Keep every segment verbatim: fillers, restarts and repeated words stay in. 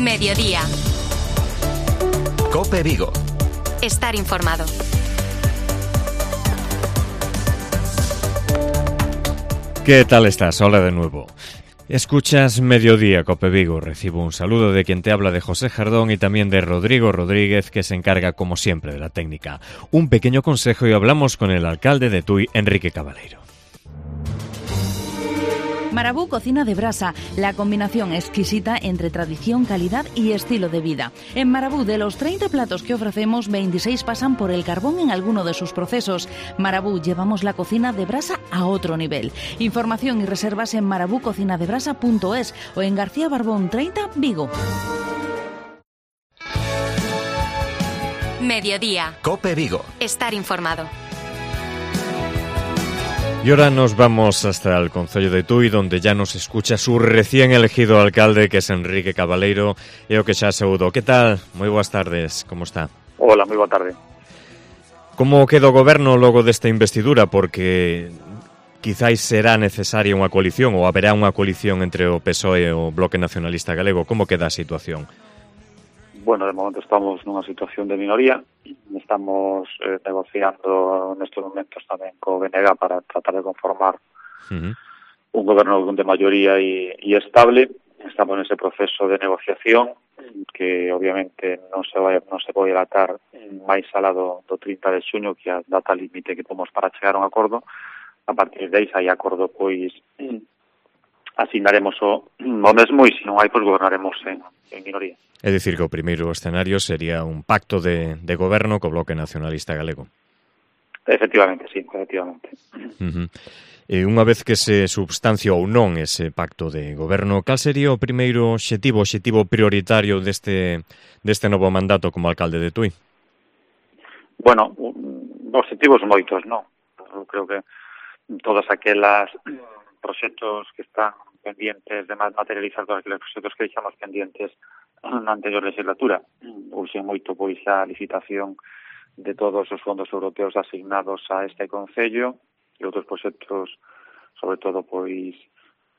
Mediodía. COPE Vigo. Estar informado. ¿Qué tal estás? Hola de nuevo. Escuchas Mediodía, COPE Vigo. Recibo un saludo de quien te habla, de José Jardón, y también de Rodrigo Rodríguez, que se encarga, como siempre, de la técnica. Un pequeño consejo y hablamos con el alcalde de Tui, Enrique Cabaleiro. Marabú Cocina de Brasa, la combinación exquisita entre tradición, calidad y estilo de vida. En Marabú, de los treinta platos que ofrecemos, veintiséis pasan por el carbón en alguno de sus procesos. Marabú, llevamos la cocina de brasa a otro nivel. Información y reservas en marabú cocina de brasa punto es o en García Barbón treinta, Vigo. Mediodía. COPE Vigo. Estar informado. Y ahora nos vamos hasta el concello de Tui, donde ya nos escucha su recién elegido alcalde, que es Enrique Cabaleiro, e o que xa saúdo. Que tal? Moi boas tardes, como está? Hola, moi boa tarde. Como queda o goberno logo desta investidura? Porque quizáis será necesaria unha coalición, ou haberá unha coalición entre o P S O E e o Bloque Nacionalista Galego. Como queda a situación? Bueno, de momento estamos nunha situación de minoría. Estamos eh, negociando nestes momentos tamén co B N G para tratar de conformar uh-huh. un goberno de maioría e, e estable. Estamos nese proceso de negociación que obviamente non se vai non se vai dilatar máis alá do, do trinta de xuño, que é a data límite que temos para chegar a un acordo. A partir de aí, se hai acordo, pois asignaremos o, o mesmo, e se non hai, pois gobernaremos en, en minoría. É dicir, que o primeiro escenario sería un pacto de, de goberno co Bloque Nacionalista Galego. Efectivamente, sí, efectivamente. Uh-huh. E unha vez que se substancia ou non ese pacto de goberno, cal sería o primeiro obxectivo, obxectivo prioritario deste, deste novo mandato como alcalde de Tui? Bueno, obxectivos moitos, non? Eu creo que todas aquelas proxectos que están pendientes de materializar, todos aqueles proxectos que deixamos pendientes na anterior legislatura. Urxe moito pois a licitación de todos os fondos europeos asignados a este concello e outros proxectos, sobre todo pois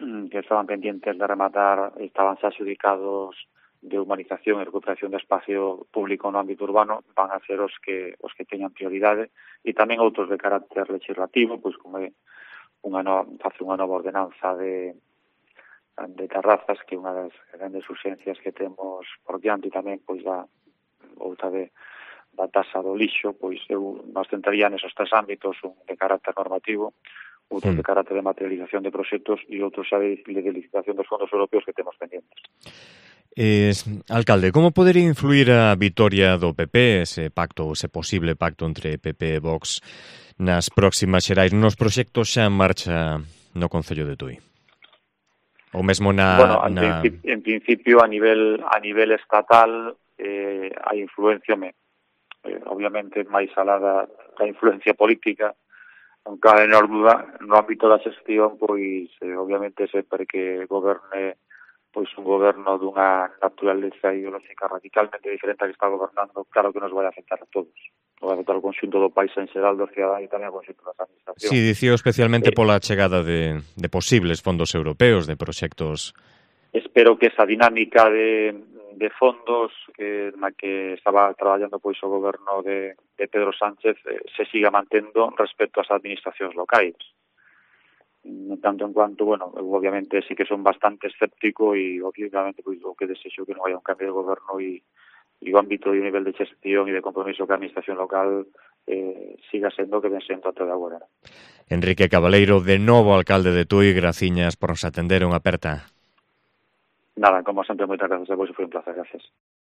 que estaban pendientes de rematar, estaban xa adjudicados de humanización e recuperación de espacio público no ámbito urbano, van a ser os que os que teñan prioridade, e tamén outros de carácter legislativo, pois como é unha nova, facer unha nova ordenanza de de terrazas, que é unha das grandes urxencias que temos por diante, e tamén pois da outra de da tasa do lixo. Pois eu nos centraría nesos tres ámbitos, un de carácter normativo, outro mm. de carácter de materialización de proxectos e outro xa de, de licitación dos fondos europeos que temos pendientes. Eh, alcalde, como podería influir a vitoria do P P, ese pacto, ese posible pacto entre P P e Vox nas próximas xerais, nos proxectos xa en marcha no concello de Tui? O mesmo na... Bueno, en, na... Principio, en principio, a nivel a nivel estatal, eh, hai influencia, me, eh, obviamente, máis alá da, da influencia política, non cabe menor duda, no ámbito da xestión, pois, eh, obviamente, sempre que goberne pois un goberno dunha naturaleza ideolóxica radicalmente diferente a que está gobernando, claro que nos vai afectar a todos. Vai afectar o conxunto do país en xeral, do cidadán, e tamén o conxunto das administracións. Sí, dicío especialmente eh, pola chegada de, de posibles fondos europeos, de proxectos. Espero que esa dinámica de, de fondos que, na que estaba traballando pois o goberno de, de Pedro Sánchez eh, se siga mantendo respecto ás administracións locais. Tanto en cuanto, bueno, eu obviamente sí que son bastante escéptico, e obviamente pois o que desexo que non haya un cambio de goberno e, e o ámbito e o nivel de xestión e de compromiso que a administración local eh, siga sendo que ven sendo até de agora. Enrique Cabaleiro, de novo alcalde de Tui, graciñas por nos atender, unha aperta. Nada, como sempre, moitas gracias a vos, foi un placer, gracias.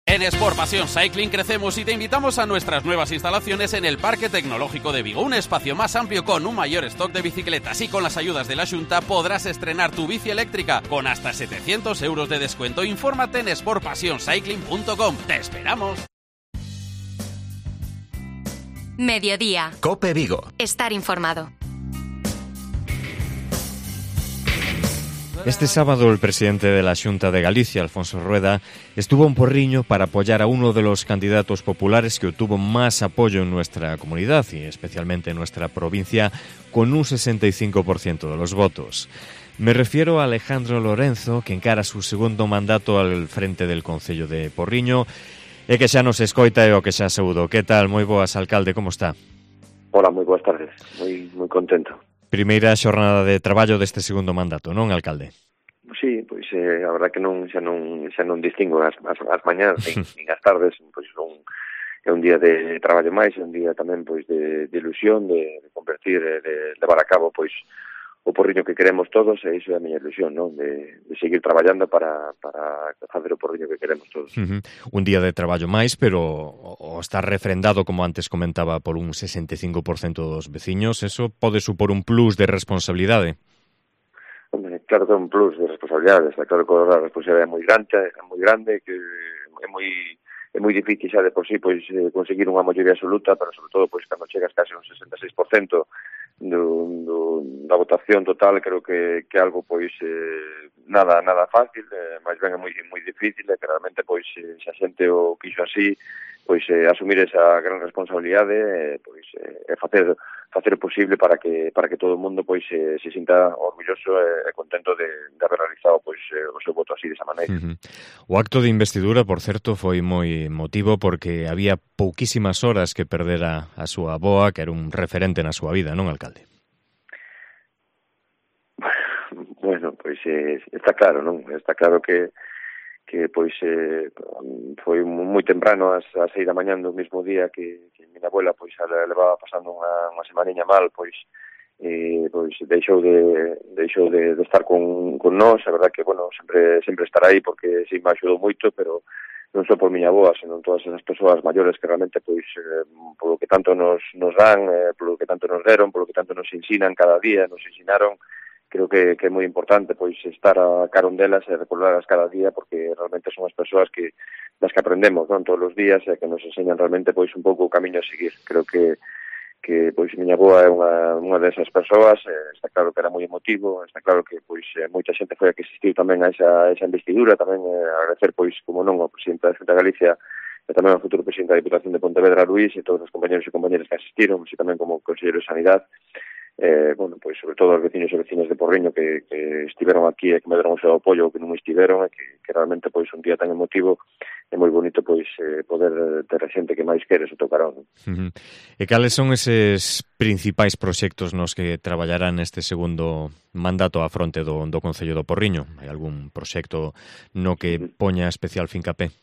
En Sport Pasión Cycling crecemos y te invitamos a nuestras nuevas instalaciones en el Parque Tecnológico de Vigo. Un espacio más amplio con un mayor stock de bicicletas, y con las ayudas de la Xunta podrás estrenar tu bici eléctrica con hasta setecientos euros de descuento. Infórmate en sport pasión cycling punto com. ¡Te esperamos! Mediodía. COPE Vigo. Estar informado. Este sábado el presidente de la Xunta de Galicia, Alfonso Rueda, estuvo en Porriño para apoyar a uno de los candidatos populares que obtuvo más apoyo en nuestra comunidad y especialmente en nuestra provincia, con un sesenta y cinco por ciento de los votos. Me refiero a Alejandro Lorenzo, que encara su segundo mandato al frente del Concello de Porriño e que xa nos escoita e o que xa saúdo. Que tal? Moi boas, alcalde, como está? Hola, moi boas tardes. Moi moi contento. Primeira xornada de traballo deste segundo mandato, non, alcalde? Sí, pois eh, a verdad que non xa non xa non distingo as as, as mañás nin, nin as tardes, pois son é un día de traballo máis, é un día tamén pois de, de ilusión, de, de convertir, de, de levar a cabo pois o Porriño que queremos todos, e iso é a miña ilusión, non? De, de seguir traballando para, para facer o Porriño que queremos todos. Uh-huh. Un día de traballo máis, pero o está refrendado, como antes comentaba, por un sesenta e cinco por cento dos veciños. Eso pode supor un plus de responsabilidade? Hombre, claro que é un plus de responsabilidade, está claro que a responsabilidade é moi grande, é moi grande, que é moi é moi difícil xa de por sí pois conseguir unha maioría absoluta, pero sobre todo pois cando chegas case un sesenta e seis por cento do, do, da votación total, creo que que algo pois eh, nada nada fácil, eh, máis ben é moi moi difícil, e que realmente pois eh, se a xente o quixo así, pois eh, asumir esa gran responsabilidade, eh, pois eh, facer facer o posible para que para que todo o mundo pois eh, se sinta orgulloso e, e contento de, de haber realizado pois eh, o seu voto así desa maneira. Uh-huh. O acto de investidura, por certo, foi moi emotivo porque había pouquísimas horas que perdera a súa avoa, que era un referente na súa vida, non, alcalde? Bueno, pois eh, está claro, non? Está claro que que pois eh, foi moi temprano ás, ás seis da mañán do mesmo día que, que minha abuela pois levaba pasando unha, unha semaniña mal, pois eh, pois deixou de deixou de, de estar con, con nós. A verdad que, bueno, sempre sempre estar aí porque si me axudou moito, pero non só por miña avoa, senón todas esas persoas maiores que realmente pois eh, polo que tanto nos, nos dan, eh, polo que tanto nos deron, polo que tanto nos ensinan cada día, nos ensinaron. Creo que, que é moi importante pois estar a carón delas e recordarlas cada día, porque realmente son as persoas que das que aprendemos, non, todos os días, e que nos enseñan realmente pois un pouco o camiño a seguir. Creo que que pois miña avoa é unha unha desas persoas, eh, está claro que era moi emotivo, está claro que pois eh, moita xente foi a que asistiu tamén a esa esa investidura, tamén eh, agradecer pois como non ao presidente da Xunta de Galicia e tamén ao futuro presidente da Diputación de Pontevedra, Luís, e todos os compañeros e compañeras que asistiron, e tamén como conselleiro de Sanidade. Eh, bueno, pois sobre todo os veciños e vecinas de Porriño que, que estiveron aquí e que me deron o seu apoio, que non estiveron, e que, que realmente pois un día tan emotivo é moi bonito pois eh, poder ter a xente que máis quere o teu carón. Uh-huh. E cales son eses principais proxectos nos que traballarán neste segundo mandato á fronte do, do Concello do Porriño? Hai algún proxecto no que poña especial fincapé?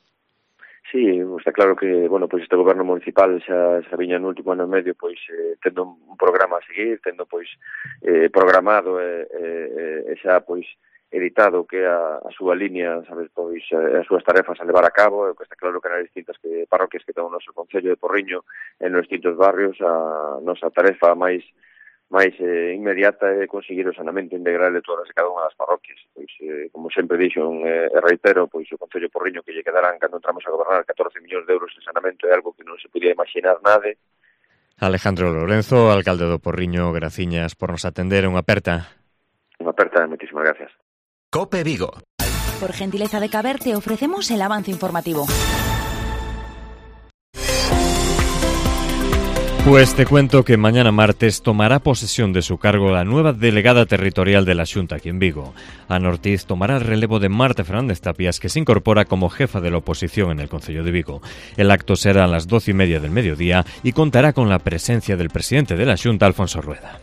Sí, está claro que, bueno, pois este goberno municipal xa, xa viña no último ano e medio pois eh, tendo un programa a seguir, tendo pois eh, programado e, eh, eh, xa pois editado que a, a súa línea, sabes, pois as súas tarefas a levar a cabo, e que está claro que nas distintas que, parroquias que ten o noso Concello de Porriño, en nos distintos barrios, a nosa tarefa máis máis eh, inmediata é conseguir o saneamento integral de todas e cada unha das parroquias. Pois, eh, como sempre dixo, eh, e reitero, pois o Concello de Porriño que lle quedarán cando entramos a gobernar catorce millóns de euros de saneamento é algo que non se podía imaginar nade. Alejandro Lorenzo, alcalde do Porriño, graciñas por nos atender. Unha aperta. Unha aperta, moitísimas gracias. Cope Vigo. Por gentileza de Caber te ofrecemos el avance informativo. Pues te cuento que mañana martes tomará posesión de su cargo la nueva delegada territorial de la Xunta aquí en Vigo. Ana Ortiz tomará el relevo de Marta Fernández Tapias, que se incorpora como jefa de la oposición en el Concello de Vigo. El acto será a las doce y media del mediodía y contará con la presencia del presidente de la Xunta, Alfonso Rueda.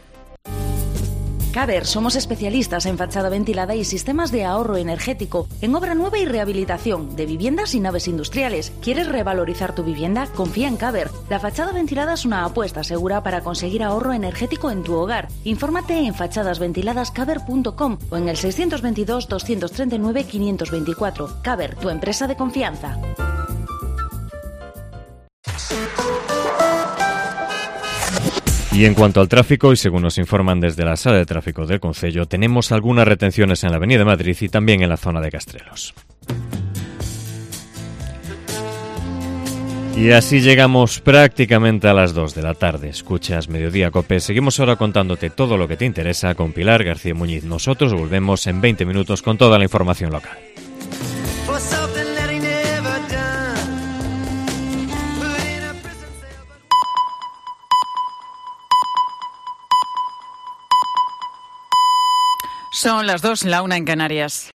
Caber, somos especialistas en fachada ventilada y sistemas de ahorro energético, en obra nueva y rehabilitación de viviendas y naves industriales. ¿Quieres revalorizar tu vivienda? Confía en Caber. La fachada ventilada es una apuesta segura para conseguir ahorro energético en tu hogar. Infórmate en fachadas ventiladas caber punto com o en el seiscientos veintidós, doscientos treinta y nueve, quinientos veinticuatro. Caber, tu empresa de confianza. Y en cuanto al tráfico, y según nos informan desde la sala de tráfico del Concello, tenemos algunas retenciones en la Avenida Madrid y también en la zona de Castrelos. Y así llegamos prácticamente a las dos de la tarde. Escuchas Mediodía Cope. Seguimos ahora contándote todo lo que te interesa con Pilar García Muñiz. Nosotros volvemos en veinte minutos con toda la información local. Son las dos, la una en Canarias.